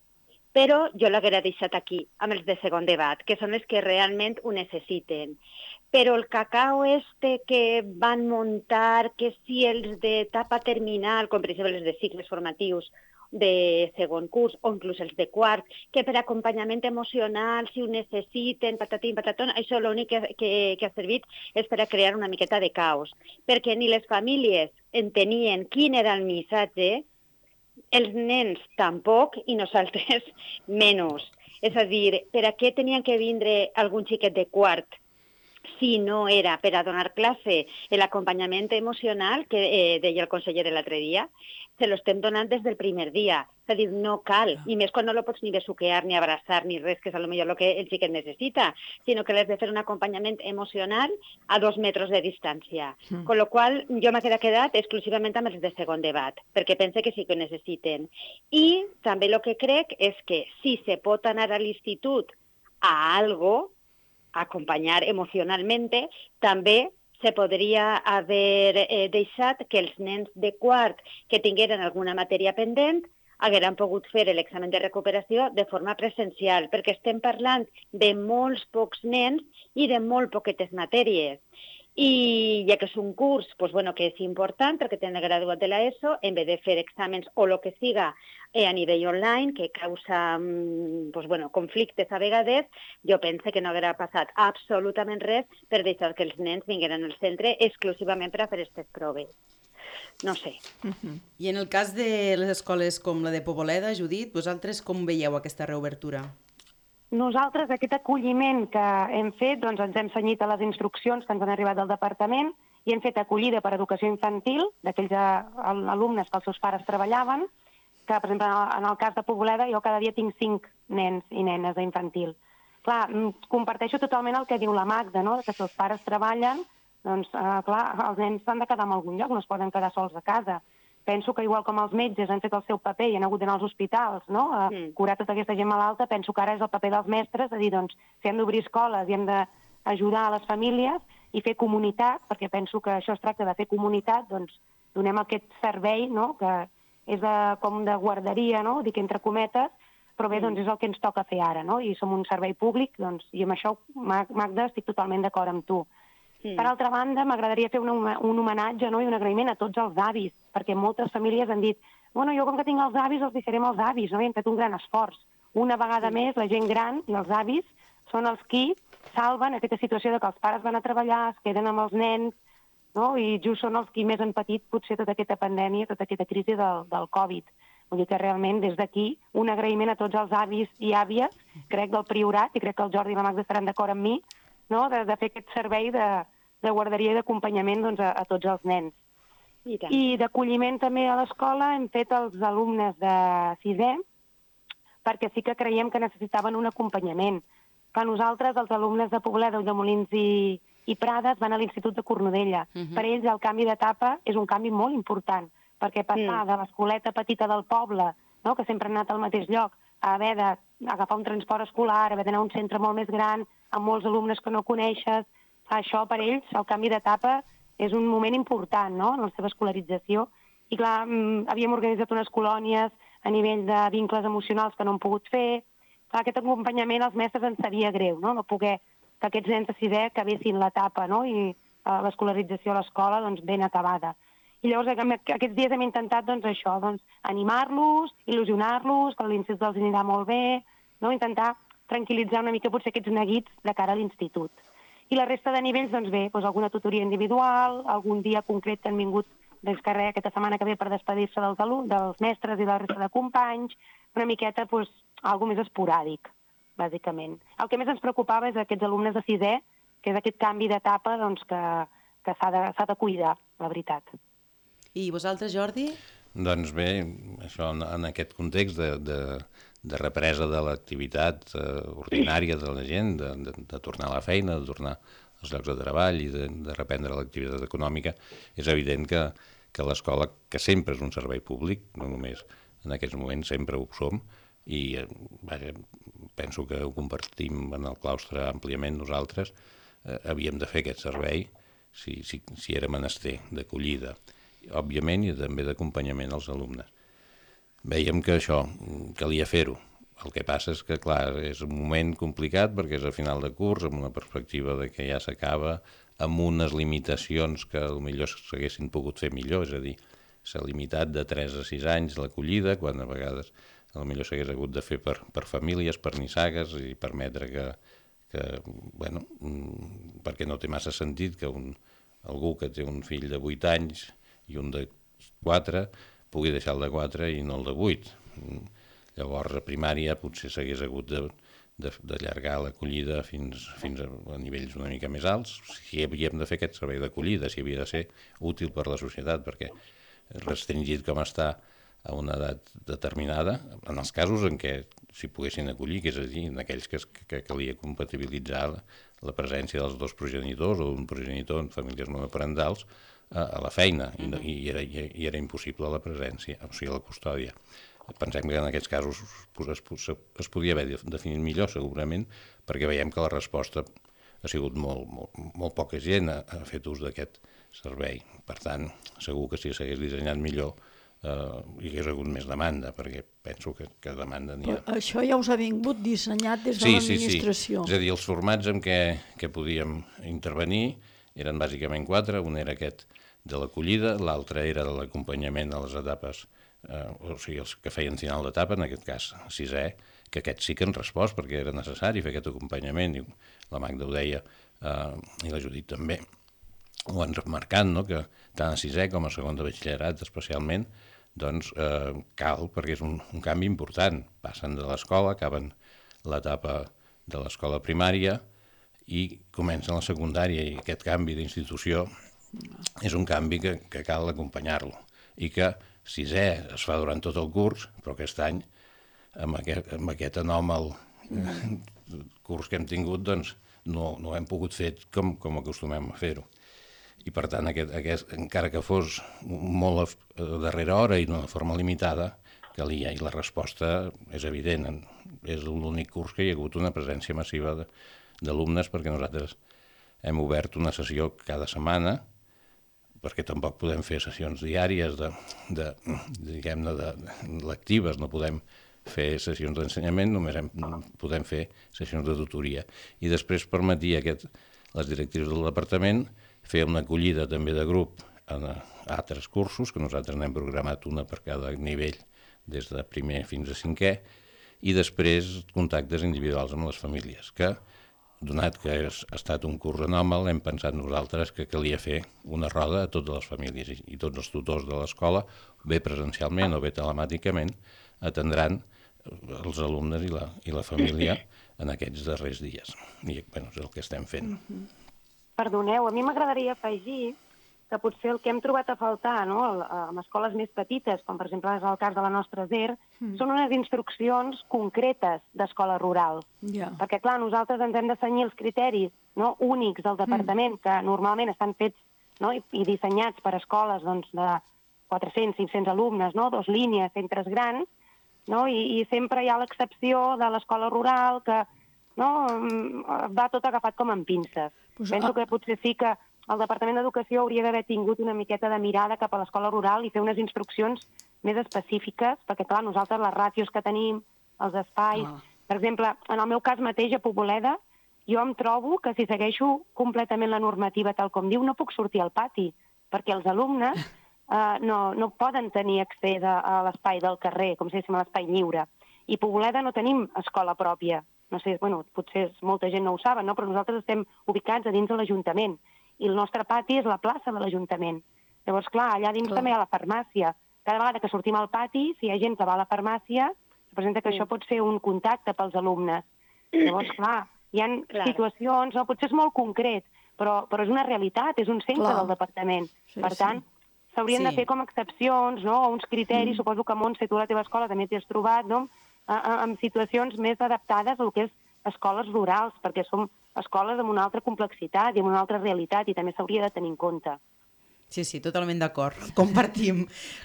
Però jo l'haguera deixat aquí, amb els de segon de bat, que són els que realment ho necessiten. Però el cacao que van muntar, que si els d'etapa terminal, com per exemple els de cicles formatius de segon curs o inclús els de quart, que per acompanyament emocional, si ho necessiten, patatín, patatón, això l'únic que ha servit és per a crear una miqueta de caos. Perquè ni les famílies entenien quin era el missatge, els nens tampoc i nosaltres menys. És a dir, per a què tenien que vindre algun xiquet de quart si no era per a donar classe l'acompanyament emocional que deia el conseller l'altre dia? Se lo estem donant des del primer dia. És a dir, no cal, i més quan no lo pots ni besuquear, ni abraçar, ni res, que és potser el que el xiquet necessita, sinó que l'has de fer un acompanyament emocional a 2 metres de distància. Con lo qual, jo m'he quedat exclusivament amb els de segon de bat, perquè pense que sí que ho necessiten. I també el que crec és que si se pot anar a l'institut a algo, acompanyar emocionalment, també se podria haver deixat que els nens de quart que tingueren alguna matèria pendent hagueren pogut fer l'examen de recuperació de forma presencial, perquè estem parlant de molts pocs nens i de molt poquetes matèries. I ja que és un curs que és important perquè tenen graduat de l'ESO, en vez de fer exàmens o el que siga a nivell online, que causa conflictes a vegades, jo penso que no haurà passat absolutament res per deixar que els nens vingueren al centre exclusivament per a fer aquestes proves. No sé. I en el cas de les escoles com la de Poboleda, Judit, vosaltres com veieu aquesta reobertura? Nosaltres, aquest acolliment que hem fet, doncs ens hem cenyit a les instruccions que ens han arribat del departament i hem fet acollida per educació infantil d'aquells alumnes que els seus pares treballaven, que, per exemple, en el cas de Poboleda, jo cada dia tinc 5 nens i nenes d'infantil. Clar, comparteixo totalment el que diu la Magda, no?, que si els pares treballen, doncs, clar, els nens s'han de quedar en algun lloc, no es poden quedar sols a casa. Penso que igual com els metges han fet el seu paper i han hagut d'anar als hospitals, no?, a curar tota aquesta gent malalta, penso que ara és el paper dels mestres, és a dir, doncs, si hem d'obrir escoles i hem d'ajudar a les famílies i fer comunitat, perquè penso que això es tracta de fer comunitat, doncs donem aquest servei, no?, que és com de guarderia, no?, dic entre cometes, però bé, doncs és el que ens toca fer ara, no?, i som un servei públic, doncs, i amb això, Magda, estic totalment d'acord amb tu. Per altra banda, m'agradaria fer un homenatge, no?, i un agraïment a tots els avis, perquè moltes famílies han dit, bueno, jo com que tinc els avis, els deixarem els avis, no?, i hem fet un gran esforç. Una vegada més, la gent gran i els avis són els qui salven aquesta situació de que els pares van a treballar, es queden amb els nens, no?, i just són els qui més han patit potser tota aquesta pandèmia, tota aquesta crisi del Covid. Vull dir que realment des d'aquí un agraïment a tots els avis i àvies, crec del Priorat, i crec que el Jordi i la Magda estaran d'acord amb mi, no?, de fer aquest servei de guarderia i d'acompanyament a tots els nens. I d'acolliment també a l'escola hem fet els alumnes de 6è, perquè sí que creiem que necessitaven un acompanyament. Que nosaltres, els alumnes de Poboleda, Ulldemolins i Prades, van a l'Institut de Cornudella. Per ells el canvi d'etapa és un canvi molt important, perquè passar de l'escoleta petita del poble, no?, que sempre han anat al mateix lloc, a haver d'agafar un transport escolar, haver d'anar a un centre molt més gran, amb molts alumnes que no coneixes, això per ells, el canvi d'etapa, és un moment important, no?, en la seva escolarització. I clar, havíem organitzat unes colònies a nivell de vincles emocionals que no hem pogut fer. Clar, aquest acompanyament als mestres ens seria greu, no?, no poder que aquests nens de 6è acabessin l'etapa, no?, i l'escolarització a l'escola doncs, ben acabada. I llavors aquests dies hem intentat doncs, això, doncs, animar-los, il·lusionar-los, que l'institut els anirà molt bé, no?, intentar tranquil·litzar una mica potser aquests neguits de cara a l'institut. I la resta de nivells, doncs bé, doncs alguna tutoria individual, algun dia concret que han vingut descarrega aquesta setmana que ve per despedir-se dels mestres i de la resta de companys, una miqueta, doncs, algo més esporàdic, bàsicament. El que més ens preocupava és aquests alumnes de sisè, que és aquest canvi d'etapa doncs, que s'ha de cuidar, la veritat. I vosaltres, Jordi? Doncs bé, això en aquest context de represa de l'activitat ordinària de la gent, de tornar a la feina, de tornar als llocs de treball i de reprendre l'activitat econòmica, és evident que l'escola, que sempre és un servei públic, no només en aquests moments, sempre ho som, i vaja, penso que ho compartim en el claustre àmpliament nosaltres, havíem de fer aquest servei si era menester, d'acollida, òbviament, i també d'acompanyament als alumnes. Vèiem que això calia fer-ho. El que passa és que, clar, és un moment complicat perquè és a final de curs, amb una perspectiva de que ja s'acaba, amb unes limitacions que potser s'haguessin pogut fer millor, és a dir, s'ha limitat de 3 a 6 anys l'acollida, quan a vegades potser s'hagués hagut de fer per famílies, per nissagues, i permetre que bueno, perquè no té massa sentit que algú que té un fill de 8 anys i un de 4 pugui deixar el de 4 i no el de 8. Llavors, a primària potser s'hagués hagut d'allargar l'acollida fins a nivells una mica més alts, si havíem de fer aquest servei d'acollida, si havia de ser útil per la societat, perquè restringit com està a una edat determinada, en els casos en què s'hi poguessin acollir, que és a dir, en aquells que calia compatibilitzar la presència dels dos progenitors o d'un progenitor en famílies monoparentals a la feina, i era impossible la presència, o sigui, la custòdia. Pensem que en aquests casos es podia haver definit millor, segurament, perquè veiem que la resposta ha sigut molt poca gent ha fet ús d'aquest servei. Per tant, segur que si s'hagués dissenyat millor hi hagués hagut més demanda, perquè penso que demanda n'hi ha. Però això ja us ha vingut dissenyat des de l'administració. Sí. És a dir, els formats en què podíem intervenir eren bàsicament 4, un era aquest de l'acollida, l'altre era de l'acompanyament a les etapes, o sigui, els que feien final d'etapa, en aquest cas 6è, que aquests sí que han respost perquè era necessari fer aquest acompanyament, i la Magda ho deia, i la Judit també ho han remarcat, no? Que tant a 6è com a segon de batxillerat especialment, doncs cal, perquè és un canvi important. Passen de l'escola, acaben l'etapa de l'escola primària i comencen la secundària, i aquest canvi d'institució és un canvi que cal acompanyar-lo, i que 6è es fa durant tot el curs, però aquest any, amb aquest anòmal curs que hem tingut, doncs no hem pogut fer com acostumem a fer-ho. I per tant, encara que fos molt a darrera hora i d'una forma limitada, calia, i la resposta és evident. És l'únic curs que hi ha hagut una presència massiva d'alumnes, perquè nosaltres hem obert una sessió cada setmana, perquè tampoc podem fer sessions diàries diguem-ne, lectives, no podem fer sessions d'ensenyament, només podem fer sessions de tutoria. I després permetia les directrius del departament fer una acollida també de grup a altres cursos, que nosaltres n'hem programat una per cada nivell, des de primer fins a 5è, i després contactes individuals amb les famílies, que donat que ha estat un curs anòmal, hem pensat nosaltres que calia fer una roda a totes les famílies, i tots els tutors de l'escola, bé presencialment o bé telemàticament, atendran els alumnes i la família en aquests darrers dies. I bueno, és el que estem fent. Perdoneu, a mi m'agradaria afegir que potser el que hem trobat a faltar, no, en escoles més petites, com per exemple és el cas de la nostra SER, són unes instruccions concretes d'escola rural. Perquè, clar, nosaltres ens hem de cenyir els criteris, no, únics del departament, que normalment estan fets, no, i dissenyats per escoles doncs, de 400-500 alumnes, no, 2 línies, centres grans, no, i sempre hi ha l'excepció de l'escola rural que no, va tot agafat com amb pinces. Penso que potser sí que el Departament d'Educació hauria d'haver tingut una miqueta de mirada cap a l'escola rural i fer unes instruccions més específiques, perquè, clar, nosaltres les ràtios que tenim, els espais... Per exemple, en el meu cas mateix, a Poboleda, jo em trobo que si segueixo completament la normativa tal com diu, no puc sortir al pati, perquè els alumnes no poden tenir accés a l'espai del carrer, com si diguéssim a l'espai lliure. I a Poboleda no tenim escola pròpia. No sé, bueno, potser molta gent no ho saben, no? Però nosaltres estem ubicats a dins de l'Ajuntament i el nostre pati és la plaça de l'Ajuntament. Llavors, clar, allà dins també hi ha la farmàcia. Cada vegada que sortim al pati, si hi ha gent que va a la farmàcia, se presenta que això pot ser un contacte pels alumnes. Llavors, clar, hi ha situacions, no? Potser és molt concret, però és una realitat, és un centre del departament. Per tant, s'haurien de fer com excepcions, no? O uns criteris, suposo que Montse, tu a la teva escola també t'hi has trobat, no? Amb situacions més adaptades al que és escoles rurals, perquè som escoles amb una altra complexitat i amb una altra realitat i també s'hauria de tenir en compte. Sí, totalment d'acord. Compartim.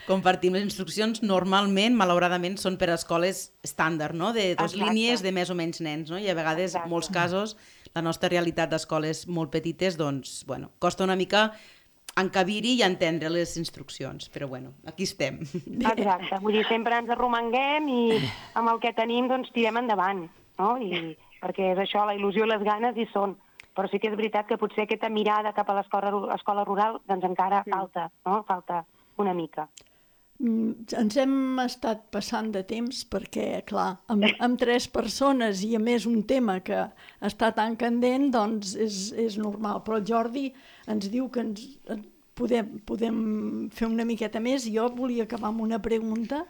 Les instruccions normalment, malauradament, són per a escoles estàndard, no? De 2 línies de més o menys nens, no? I a vegades, en molts casos, la nostra realitat d'escoles molt petites, doncs, bueno, costa una mica encabir-hi i entendre les instruccions, però bueno, aquí estem. Exacte, vull dir, sempre ens arromanguem i amb el que tenim, doncs, tirem endavant, no? Perquè és això, la il·lusió i les ganes hi són. Però sí que és veritat que potser aquesta mirada cap a l'escola rural doncs encara falta, no? Falta una mica. Ens hem estat passant de temps perquè, clar, amb 3 persones i a més un tema que està tan candent, doncs és normal. Però el Jordi ens diu que podem fer una miqueta més i jo volia acabar amb una pregunta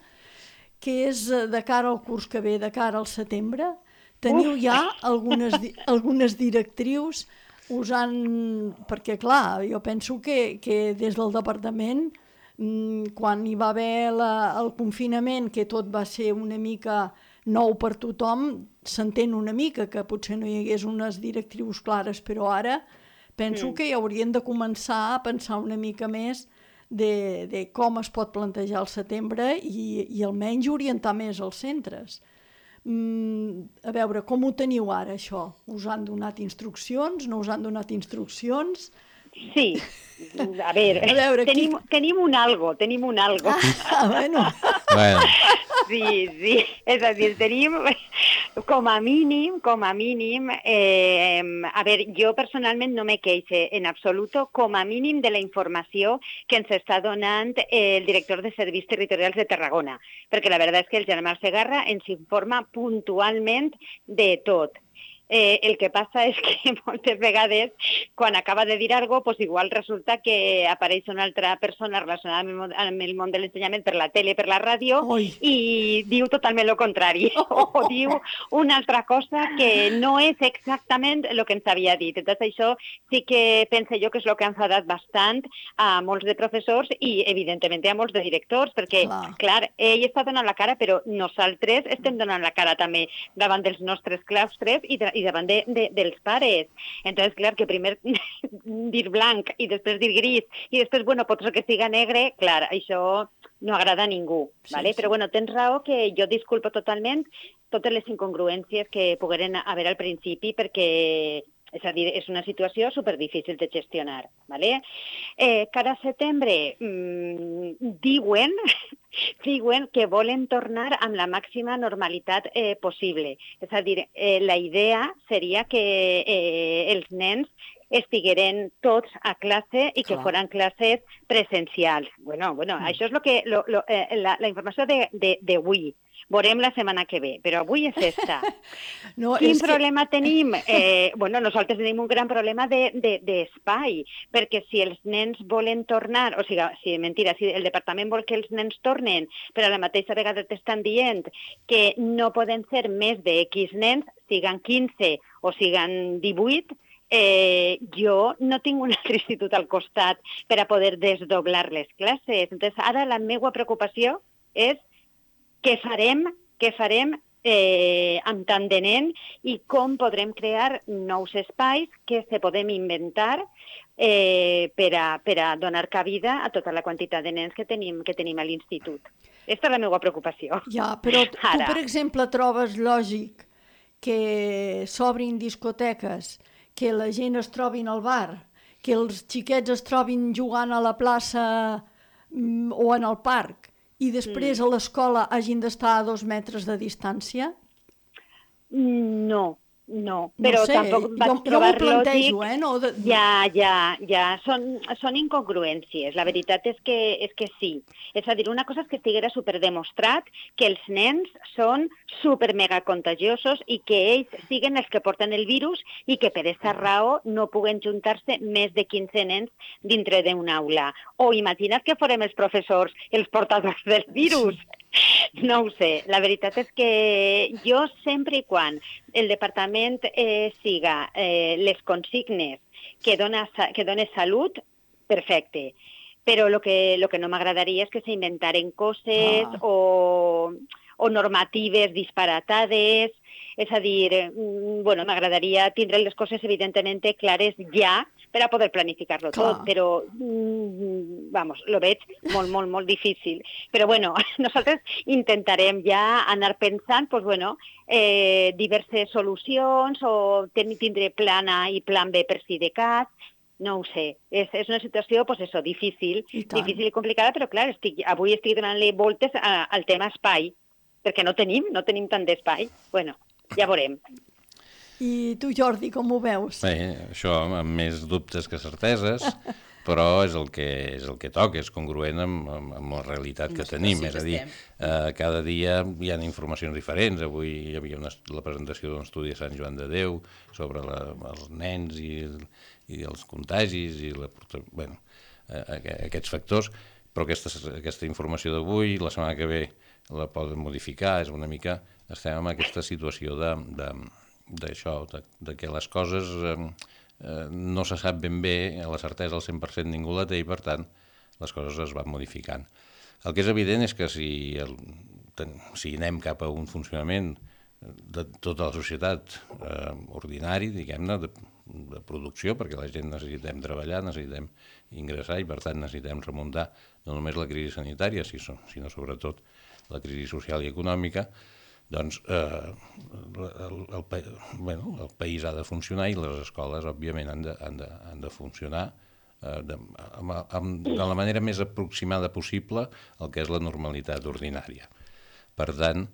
que és de cara al curs que ve, de cara al setembre. Teniu ja algunes directrius usant... Perquè, clar, jo penso que des del departament, quan hi va haver el confinament, que tot va ser una mica nou per tothom, s'entén una mica que potser no hi hagués unes directrius clares, però ara penso que hi haurien de començar a pensar una mica més de com es pot plantejar el setembre i almenys orientar més els centres. A veure, com ho teniu ara, això? Us han donat instruccions? No us han donat instruccions? Sí, a veure tenim un algo. Bueno. Sí, és a dir, tenim com a mínim, a veure, jo personalment no me queixe en absoluto, com a mínim de la informació que ens està donant el director de Serveis Territorials de Tarragona, perquè la veritat és que el Germà Segarra ens informa puntualment de tot. El que passa és que moltes vegades, quan acaba de dir alguna cosa, pues igual resulta que apareix una altra persona relacionada amb el món de l'ensenyament per la tele, per la ràdio, i diu totalment el contrari, o diu una altra cosa que no és exactament el que ens havia dit. Entonces això sí que penso jo que és el que ha enfadat bastant a molts de professors i, evidentment, a molts de directors, perquè, clar, ell està donant la cara, però nosaltres estem donant la cara també davant dels nostres claustres i davant dels pares. Entonces, clar, que primer dir blanc i després dir gris i després, bueno, pot ser que siga negre, clar, això no agrada a ningú, ¿vale? Però, bueno, tens raó que jo disculpo totalment totes les incongruències que pogueren haver al principi perquè, és a dir, és una situació superdifícil de gestionar, ¿vale? Cada setembre diuen que volen tornar amb la màxima normalitat possible. És a dir, la idea seria que els nens estigueren tots a classe i que foren classes presencials. Bueno, això és la informació d'avui. Veurem la setmana que ve, però avui és esta. Quin problema tenim? Nosaltres tenim un gran problema d'espai, perquè si els nens volen tornar, o sigui, si el departament vol que els nens tornen, però a la mateixa vegada t'estan dient que no poden ser més de X nens, siguen 15 o siguen 18, jo no tinc un altre institut al costat per a poder desdoblar les classes. Entonces, ara la meva preocupació és què farem amb tant de nen i com podrem crear nous espais que se podem inventar per a donar cabida a tota la quantitat de nens que tenim a l'institut. Aquesta és la meva preocupació. Ja, però tu, per exemple, trobes lògic que s'obrin discoteques, que la gent es trobin al bar, que els xiquets es trobin jugant a la plaça o en el parc, i després a l'escola hagin d'estar a 2 metres de distància? No, No, però no sé, tampoc vaig jo trobar m'ho plantejo, lògic. no? Ja, són incongruències. La veritat és que sí. És a dir, una cosa és que estiguera superdemostrat que els nens són super mega contagiosos i que ells siguen els que porten el virus i que per aquesta raó no puguen juntar-se més de 15 nens dintre d'una aula. O imagina't que farem els professors els portadors del virus. No ho sé. La veritat és que jo sempre i quan el departament siga les consignes que dona salut, perfecte. Però el que no m'agradaria és que s'inventaren coses o normatives disparatades. És a dir, m'agradaria tindre les coses evidentment clares ja per a poder planificar-lo tot, però, lo veig molt, molt, molt difícil. Però, nosaltres intentarem ja anar pensant, diverses solucions o tindre plan A i plan B per si de cas. No ho sé, és una situació difícil i complicada, però clar, avui estic donant-li voltes al tema espai, perquè no tenim tant d'espai. Ja veurem. I tu, Jordi, com ho veus? Bé, això amb més dubtes que certeses, però és el que toca, és congruent amb la realitat que tenim. És a dir, cada dia hi ha informacions diferents. Avui hi havia la presentació d'un estudi a Sant Joan de Déu sobre els nens i els contagis i aquests factors, però aquesta informació d'avui, la setmana que ve la poden modificar, és una mica... Estem en aquesta situació d'això, que les coses no se sap ben bé, la certesa al 100% ningú la té i, per tant, les coses es van modificant. El que és evident és que si anem cap a un funcionament de tota la societat ordinari, diguem-ne, de producció, perquè la gent necessitem treballar, necessitem ingressar i, per tant, necessitem remuntar no només la crisi sanitària, sinó sobretot la crisi social i econòmica, doncs el país ha de funcionar i les escoles, òbviament, han de funcionar de la manera més aproximada possible al que és la normalitat ordinària. Per tant,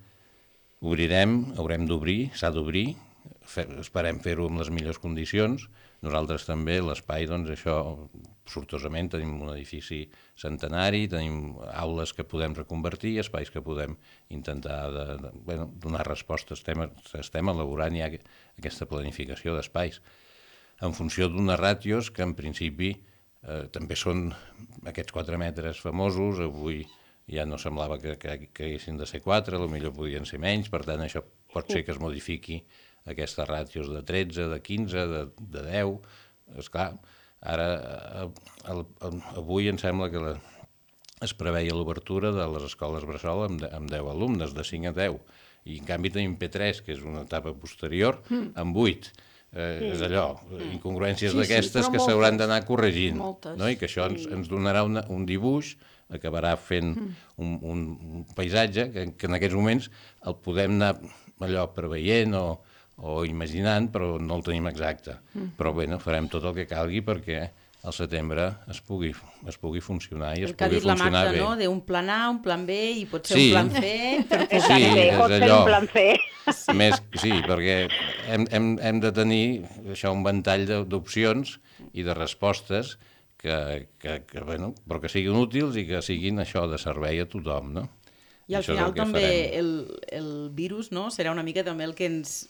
haurem d'obrir, s'ha d'obrir, esperem fer-ho amb les millors condicions. Nosaltres també, l'espai, doncs això, sortosament, tenim un edifici centenari, tenim aules que podem reconvertir, espais que podem intentar donar respostes. Estem elaborant ja aquesta planificació d'espais en funció d'unes ràtios que, en principi, també són aquests 4 metres famosos. Avui ja no semblava que haguessin de ser 4, potser podien ser menys, per tant, això pot ser que es modifiqui aquestes ràtios de 13, de 15, de 10. Esclar, ara, avui em sembla que es preveia l'obertura de les escoles bressol amb 10 alumnes, de 5 a 10, i en canvi tenim P3, que és una etapa posterior, amb 8. És allò, incongruències d'aquestes que s'hauran d'anar corregint, i que això ens donarà un dibuix, acabarà fent un paisatge que en aquests moments el podem anar allò preveient o imaginant, però no el tenim exacte. Però bé, farem tot el que calgui perquè al setembre es pugui funcionar i es pugui funcionar bé. El que ha dit la Magda, d'un plan A, un plan B i pot ser un plan C. Sí, pot ser un plan C. Sí, perquè hem de tenir això, un ventall d'opcions i de respostes però que siguin útils i que siguin això de servei a tothom, no? I al final també el virus serà una mica també el que ens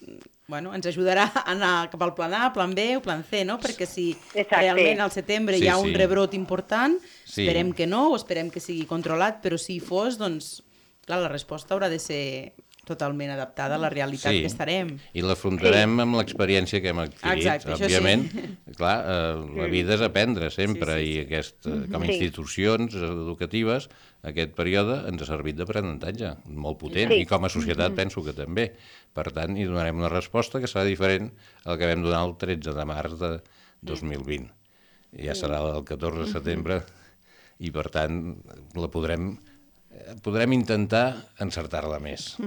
ajudarà a anar cap al plan A, plan B o plan C, no? Perquè si realment al setembre hi ha un rebrot important, esperem que no, o esperem que sigui controlat, però si hi fos, doncs, clar, la resposta haurà de ser totalment adaptada a la realitat que estarem. I l'afrontarem amb l'experiència que hem adquirit. Òbviament, clar, la vida és aprendre sempre i com a institucions educatives aquest període ens ha servit d'aprenentatge molt potent i com a societat penso que també. Per tant, hi donarem una resposta que serà diferent al que vam donar el 13 de març de 2020. Ja serà el 14 de setembre i, per tant, podrem intentar encertar-la més.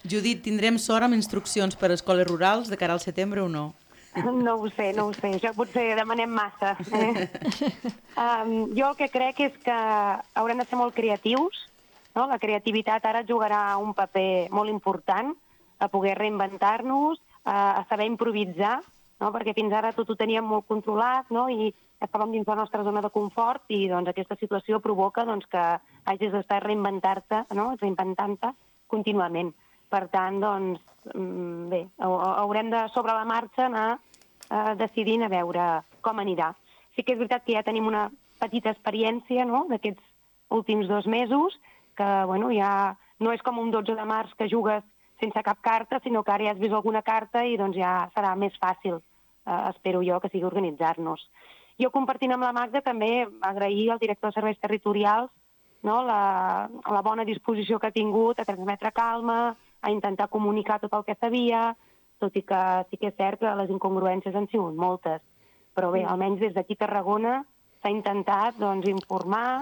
Judit, tindrem sort amb instruccions per a escoles rurals de cara al setembre o no? No ho sé. Això potser demanem massa. Jo el que crec és que haurem de ser molt creatius. La creativitat ara jugarà un paper molt important a poder reinventar-nos, a saber improvisar, no? Perquè fins ara tot ho teníem molt controlat, no? I estàvem dins la nostra zona de confort i doncs, aquesta situació provoca doncs, que hagis d'estar reinventant-te, no? Reinventant-te contínuament. Per tant, doncs, bé, haurem de, sobre la marxa, anar decidint a veure com anirà. Sí que és veritat que ja tenim una petita experiència, no?, d'aquests últims 2 mesos, que bueno, ja no és com un 12 de març que jugues sense cap carta, sinó que ara ja has vist alguna carta i doncs, ja serà més fàcil, espero jo, que sigui organitzar-nos. Jo, compartint amb la Magda, també agrair al director de serveis territorials, no?, la bona disposició que ha tingut a transmetre calma, a intentar comunicar tot el que sabia, tot i que sí que és cert que les incongruències han sigut moltes. Però bé, almenys des d'aquí a Tarragona s'ha intentat doncs, informar,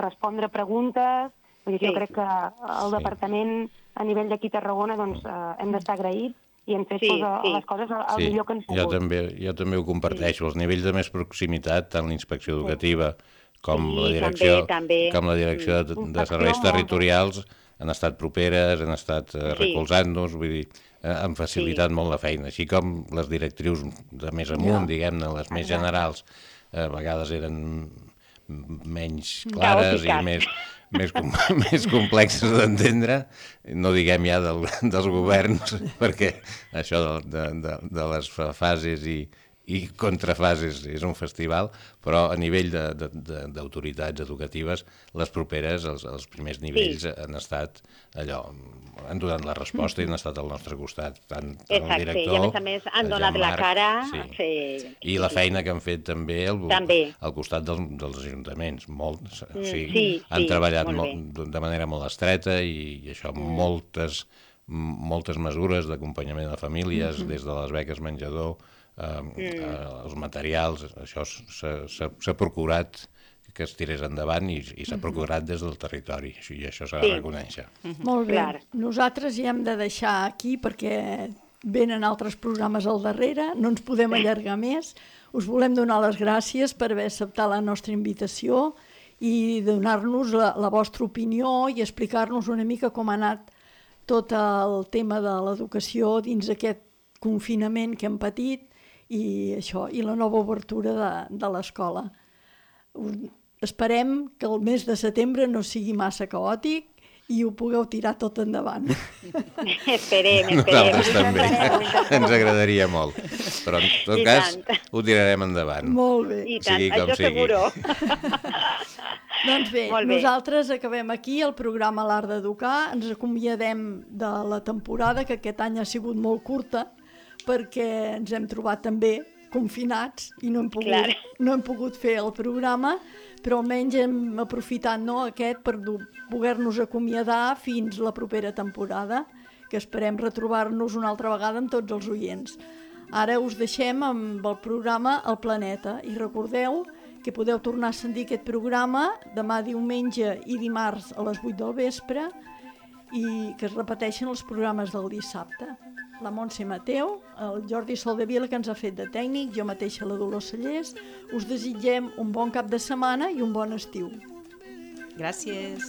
respondre preguntes. Jo crec que el departament a nivell d'aquí a Tarragona doncs, hem d'estar agraïts i hem fet les coses al millor que hem pogut. Jo també ho comparteixo. Els nivells de més proximitat, tant la inspecció educativa com la direcció de serveis territorials, han estat properes, han estat recolzant-nos, vull dir, han facilitat molt la feina, així com les directrius de més amunt, diguem-ne, les més generals, a vegades eren menys clares i més complexes d'entendre, no diguem ja dels governs, perquè això de les fases i contrafases és un festival, però a nivell d'autoritats educatives, les properes, els primers nivells han estat allò, han donat la resposta i han estat al nostre costat, tant el director... I a més han donat la cara... I la feina que han fet també al costat dels ajuntaments, molt, han treballat de manera molt estreta i això, moltes mesures d'acompanyament de famílies, des de les beques menjador, els materials, això s'ha procurat que es tirés endavant i s'ha procurat des del territori, i això s'ha de reconèixer. Molt bé. Nosaltres ja hem de deixar aquí perquè venen altres programes al darrere, no ens podem allargar més. Us volem donar les gràcies per haver acceptat la nostra invitació i donar-nos la vostra opinió i explicar-nos una mica com ha anat tot el tema de l'educació dins aquest confinament que hem patit i la nova obertura de l'escola. Esperem que el mes de setembre no sigui massa caòtic i ho pugueu tirar tot endavant. Esperem. Nosaltres també. Ens agradaria molt. Però en tot cas ho tirarem endavant. Molt bé. I tant, això seguro. Doncs bé, nosaltres acabem aquí el programa L'Art d'Educar. Ens acomiadem de la temporada, que aquest any ha sigut molt curta, perquè ens hem trobat també confinats i no hem pogut fer el programa, però almenys hem aprofitat aquest per poder-nos acomiadar fins la propera temporada, que esperem retrobar-nos una altra vegada amb tots els oients. Ara us deixem amb el programa El Planeta i recordeu que podeu tornar a sentir aquest programa demà diumenge i dimarts a les 8 del vespre i que es repeteixen els programes del dissabte. La Montse Mateu, el Jordi Soldevila, que ens ha fet de tècnic, jo mateixa la Dolors Cellers, us desitgem un bon cap de setmana i un bon estiu. Gràcies.